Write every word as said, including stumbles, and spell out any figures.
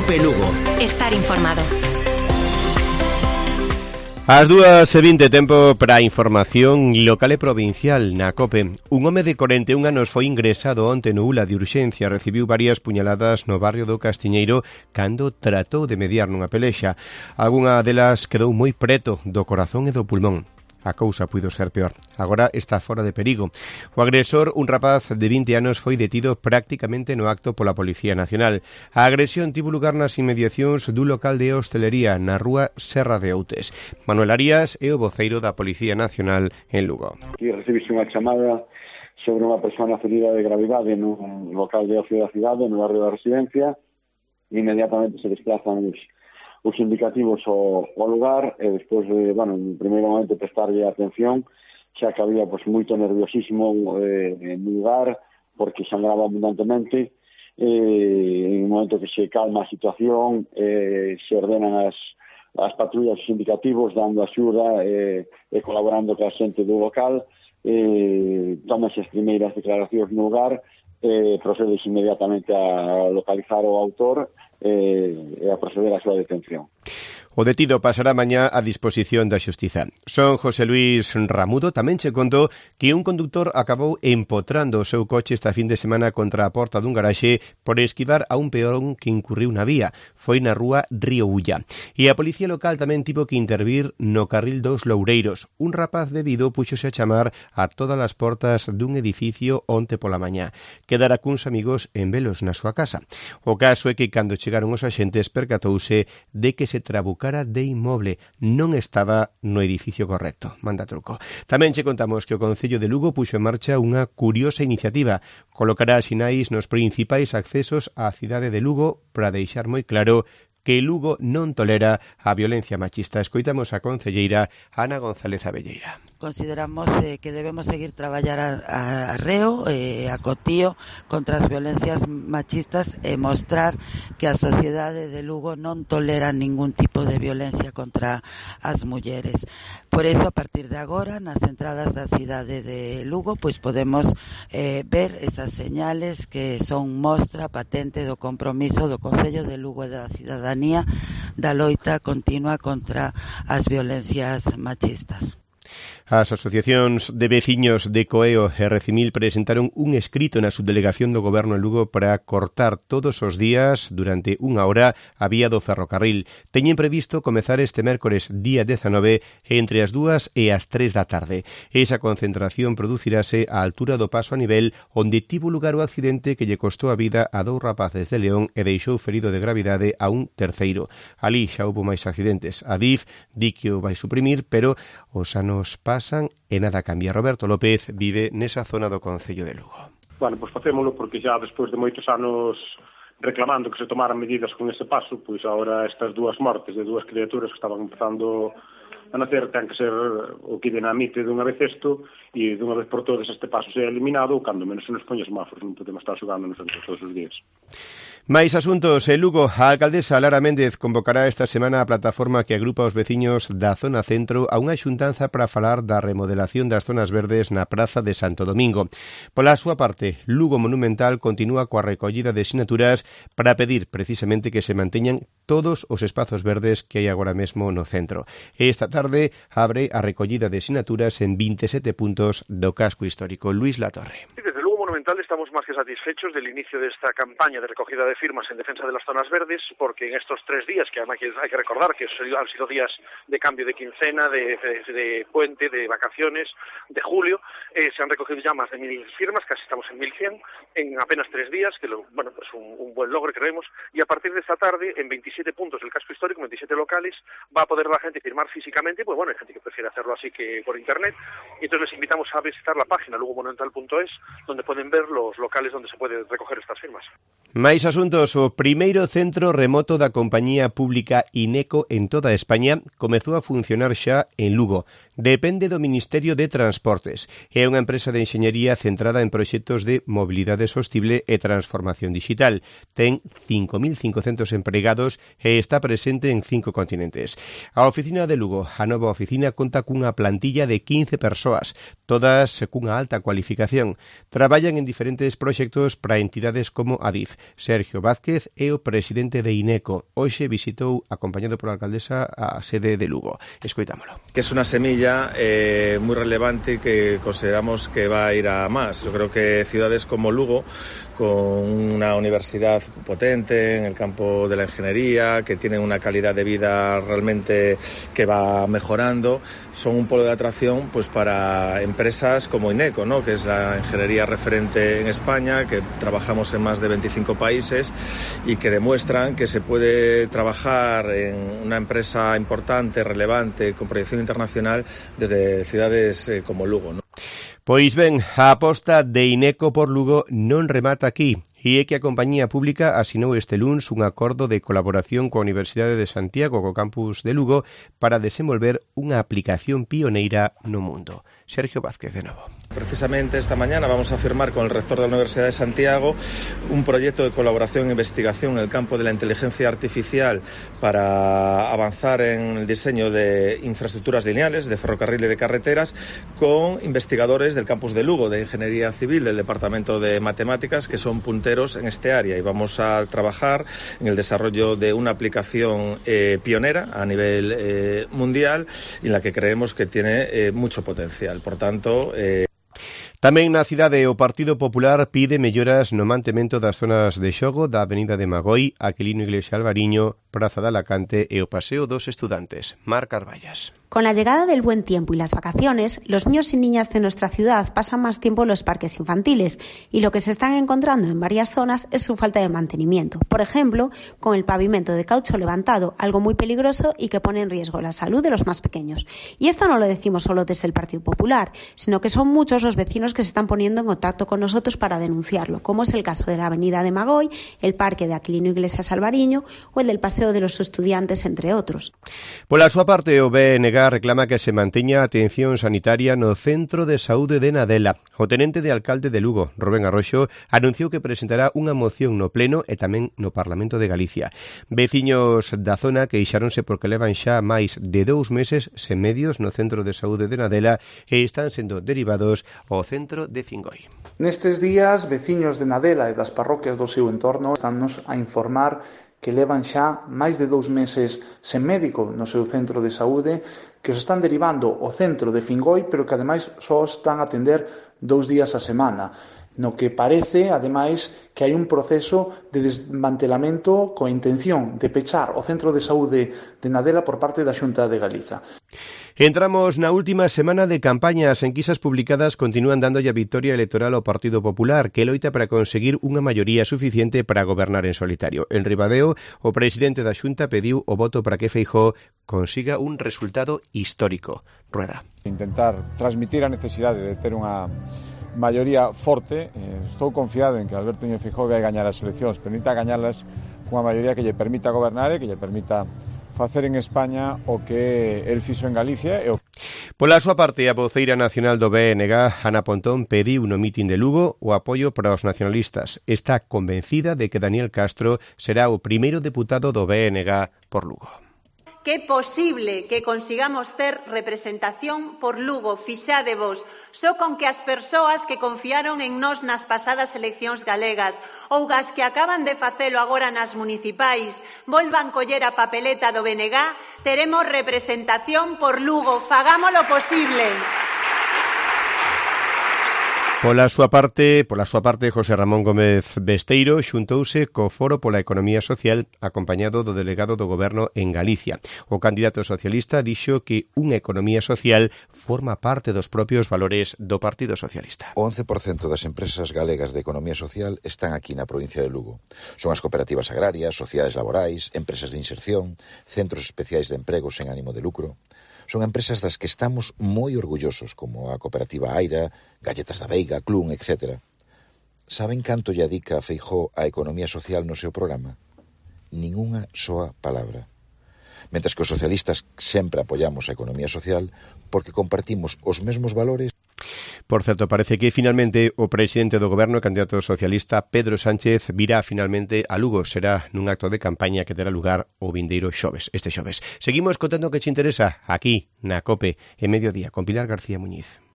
COPE Lugo. Estar informado. As dúas e vinte, tempo para a información local e provincial na COPE. Un home de corenta e un anos foi ingresado onte no U L A de urxencia. Recibiu varias puñaladas no barrio do Castiñeiro cando tratou de mediar nunha pelexa. Algunha delas quedou moi preto do corazón e do pulmón. A cousa puido ser peor. Agora está fora de perigo. O agresor, un rapaz de vinte anos, foi detido prácticamente no acto pola Policía Nacional. A agresión tivo lugar nas inmediacións do local de hostelería na rúa Serra de Outes. Manuel Arias é o voceiro da Policía Nacional en Lugo. Aquí recibiste unha chamada sobre unha persona ferida de gravidade nun local de ocio da cidade, no barrio da Residencia. Inmediatamente se desplazan os os indicativos ao, ao lugar e despois, de, bueno, en primeiro momento prestarlle atención, xa que había pues, moito nerviosismo eh, no lugar, porque sangraba abundantemente, eh, en un momento que se calma a situación, eh, se ordenan as, as patrullas, os indicativos, dando axuda eh, e colaborando ca xente do local, eh, tómanse as primeiras declaracións no lugar, eh, procedes inmediatamente a localizar o autor e a proceder á súa detención. O detido pasará mañá a disposición da Xustiza. Son José Luis Ramudo tamén che contou que un conductor acabou empotrando o seu coche esta fin de semana contra a porta dun garaxe por esquivar a un peón que incurriu na vía. Foi na rúa Río Ulla. E a policía local tamén tivo que intervir no carril dos Loureiros. Un rapaz bebido puxose a chamar a todas as portas dun edificio onte pola mañá. Quedara cuns amigos en velos na súa casa. O caso é que cando chegaron os axentes percatouse de que se trabucara de inmoble, non estaba no edificio correcto. Manda truco. Tamén che contamos que o Concello de Lugo puxo en marcha unha curiosa iniciativa. Colocará sinais nos principais accesos á cidade de Lugo para deixar moi claro que Lugo non tolera a violencia machista. Escoitamos a concelleira Ana González Abelleira. Consideramos eh, que debemos seguir traballar a, a reo, eh, a cotío contra as violencias machistas e mostrar que a sociedade de Lugo non tolera ningún tipo de violencia contra as mulleres. Por eso, a partir de agora, nas entradas da cidade de Lugo, pois podemos eh, ver esas señales que son mostra patente do compromiso do Concello de Lugo e da cidadanía da loita continua contra as violencias machistas. As asociacións de veciños de Coeo e Recimil presentaron un escrito na subdelegación do Goberno en Lugo para cortar todos os días, durante unha hora, a vía do ferrocarril. Teñen previsto comezar este mércores día dezanove entre as dúas e as tres da tarde. Esa concentración producirase á altura do paso a nivel onde tivo lugar o accidente que lle costou a vida a dous rapaces de León e deixou ferido de gravidade a un terceiro. Ali xa houbo máis accidentes. A D I F di que o vai suprimir, pero os anos pasan e nada cambia. Roberto López vive nesa zona do Concello de Lugo. Bueno, pois facémolo porque xa despois de moitos anos reclamando que se tomaran medidas con ese paso, pois agora estas dúas mortes de dúas criaturas que estaban empezando a nacer ten que ser o que dinamite dunha vez isto e dunha vez por todas este paso sea eliminado, cando menos se nos poña semáforos, non podemos estar xogando nos centros todos os días. Mais asuntos. En Lugo, a alcaldesa Lara Méndez convocará esta semana a plataforma que agrupa os veciños da zona centro a unha xuntanza para falar da remodelación das zonas verdes na Praza de Santo Domingo. Pola súa parte, Lugo Monumental continúa coa recollida de sinaturas para pedir precisamente que se manteñan todos os espazos verdes que hai agora mesmo no centro. Esta tarde abre a recollida de sinaturas en vinte e sete puntos do casco histórico. Luis Latorre. Desde Lugo Monumental estamos más que satisfechos del inicio de esta campaña de recogida de firmas en defensa de las zonas verdes, porque en estos tres días, que además hay que recordar que han sido días de cambio de quincena, de, de, de puente, de vacaciones, de julio, eh, se han recogido ya más de mil firmas, casi estamos en mil cien, en apenas tres días, que lo, bueno, pues un, un buen logro creemos, y a partir de esta tarde, en veintisiete puntos del casco histórico, veintisiete locales, va a poder la gente firmar físicamente, pues bueno, hay gente que prefiere hacerlo así que por internet, y entonces les invitamos a visitar la página lugo monumental punto es, donde pueden ver los locales donde se puede recoger estas firmas. Mais asuntos. O primeiro centro remoto da compañía pública INECO en toda España comezou a funcionar xa en Lugo. Depende do Ministerio de Transportes. É unha empresa de enxeñería centrada en proxectos de mobilidade sostible e transformación digital. Ten cinco mil cincocentos empregados e está presente en cinco continentes. A oficina de Lugo, a nova oficina, conta cunha plantilla de quince persoas, todas cunha alta cualificación. Traballa traballan en diferentes proxectos para entidades como Adif. Sergio Vázquez é o presidente de INECO. Hoxe visitou, acompañado pola alcaldesa, a sede de Lugo. Escoitámolo. Que es una semilla eh, muy relevante que consideramos que va a ir a más. Yo creo que ciudades como Lugo, con una universidad potente en el campo de la ingeniería, que tienen una calidad de vida realmente que va mejorando, son un polo de atracción pues para empresas como INECO, ¿no? Que es la ingeniería referente en España, que trabajamos en más de veinticinco países y que demuestran que se puede trabajar en una empresa importante, relevante, con proyección internacional desde ciudades eh, como Lugo, ¿no? Pois ben, a aposta de INECO por Lugo non remata aquí. E é que a compañía pública asinou este luns un acordo de colaboración coa Universidade de Santiago, co campus de Lugo, para desenvolver unha aplicación pioneira no mundo. Sergio Vázquez, de novo. Precisamente esta mañana vamos a firmar con el rector de la Universidad de Santiago un proyecto de colaboración e investigación en el campo de la inteligencia artificial para avanzar en el diseño de infraestructuras lineales, de ferrocarril y de carreteras, con investigadores del campus de Lugo, de Ingeniería Civil, del Departamento de Matemáticas, que son punteros en este área, y vamos a trabajar en el desarrollo de una aplicación eh, pionera a nivel eh, mundial y en la que creemos que tiene eh, mucho potencial. Por tanto, eh... Tamén na cidade o Partido Popular pide melloras no mantemento das zonas de xogo da Avenida de Magoi, Aquilino Iglesia Alvariño, Praza de Alacante e o Paseo dos Estudantes. Mar Carballas. Con la llegada del buen tiempo y las vacaciones, los niños y niñas de nuestra ciudad pasan más tiempo en los parques infantiles y lo que se están encontrando en varias zonas es su falta de mantenimiento. Por ejemplo, con el pavimento de caucho levantado, algo muy peligroso y que pone en riesgo la salud de los más pequeños. Y esto no lo decimos solo desde el Partido Popular, sino que son muchos los vecinos que se están poniendo en contacto con nosotros para denunciarlo, como es el caso de la Avenida de Magoi, el Parque de Aquilino Iglesias Alvariño o el del Paseo de los Estudiantes, entre otros. Pola súa parte, o B N G reclama que se manteña a atención sanitaria no Centro de Saúde de Nadela. O tenente de alcalde de Lugo, Rubén Arroxo, anunciou que presentará unha moción no Pleno e tamén no Parlamento de Galicia. Veciños da zona queixáronse porque levan xa máis de dous meses sen medios no Centro de Saúde de Nadela e están sendo derivados ao Centro de Cingoi. Nestes días, veciños de Nadela e das parroquias do seu entorno estánnos a informar que levan xa máis de dous meses sen médico no seu centro de saúde, que os están derivando ao centro de Fingoi, pero que ademais só están a atender dous días a semana, no que parece, ademais, que hai un proceso de desmantelamento coa intención de pechar o centro de saúde de Nadela por parte da Xunta de Galiza. Entramos na última semana de campaña. As enquisas publicadas continúan dándolle a victoria electoral ao Partido Popular, que loita para conseguir unha maioría suficiente para gobernar en solitario. En Ribadeo, o presidente da Xunta pediu o voto para que Feijóo consiga un resultado histórico. Rueda. Intentar transmitir a necesidade de ter unha maioría forte. Estou confiado en que Alberto Núñez Feijóo vai gañar as eleccións, permita gañalas cunha maioría que lle permita gobernar e que lle permita facer en España o que el fixo en Galicia. E o... Pola súa parte, a voceira nacional do B N G, Ana Pontón, pediu no mitin de Lugo o apoio para os nacionalistas. Está convencida de que Daniel Castro será o primeiro deputado do B N G por Lugo. Que é posible que consigamos ter representación por Lugo, fixádevos, só con que as persoas que confiaron en nós nas pasadas eleccións galegas ou as que acaban de facelo agora nas municipais volvan coller a papeleta do B N G, teremos representación por Lugo. Fagámolo posible. Pola súa parte, pola súa parte, José Ramón Gómez Besteiro xuntouse co Foro pola Economía Social acompañado do delegado do Goberno en Galicia. O candidato socialista dixo que unha economía social forma parte dos propios valores do Partido Socialista. O once por cento das empresas galegas de economía social están aquí na provincia de Lugo. Son as cooperativas agrarias, sociedades laborais, empresas de inserción, centros especiais de emprego sen ánimo de lucro. Son empresas das que estamos moi orgullosos, como a cooperativa Aira, Galletas da Veiga, Clun, etcétera. Saben canto lle adica a Feijóo a economía social no seu programa? Ningunha soa palabra. Mentres que os socialistas sempre apoiamos a economía social porque compartimos os mesmos valores. Por certo, parece que finalmente o presidente do Goberno, candidato socialista Pedro Sánchez, virá finalmente a Lugo. Será nun acto de campaña que terá lugar o vindeiro xoves, este xoves. Seguimos contando que te interesa aquí na COPE en Mediodía con Pilar García Muñiz.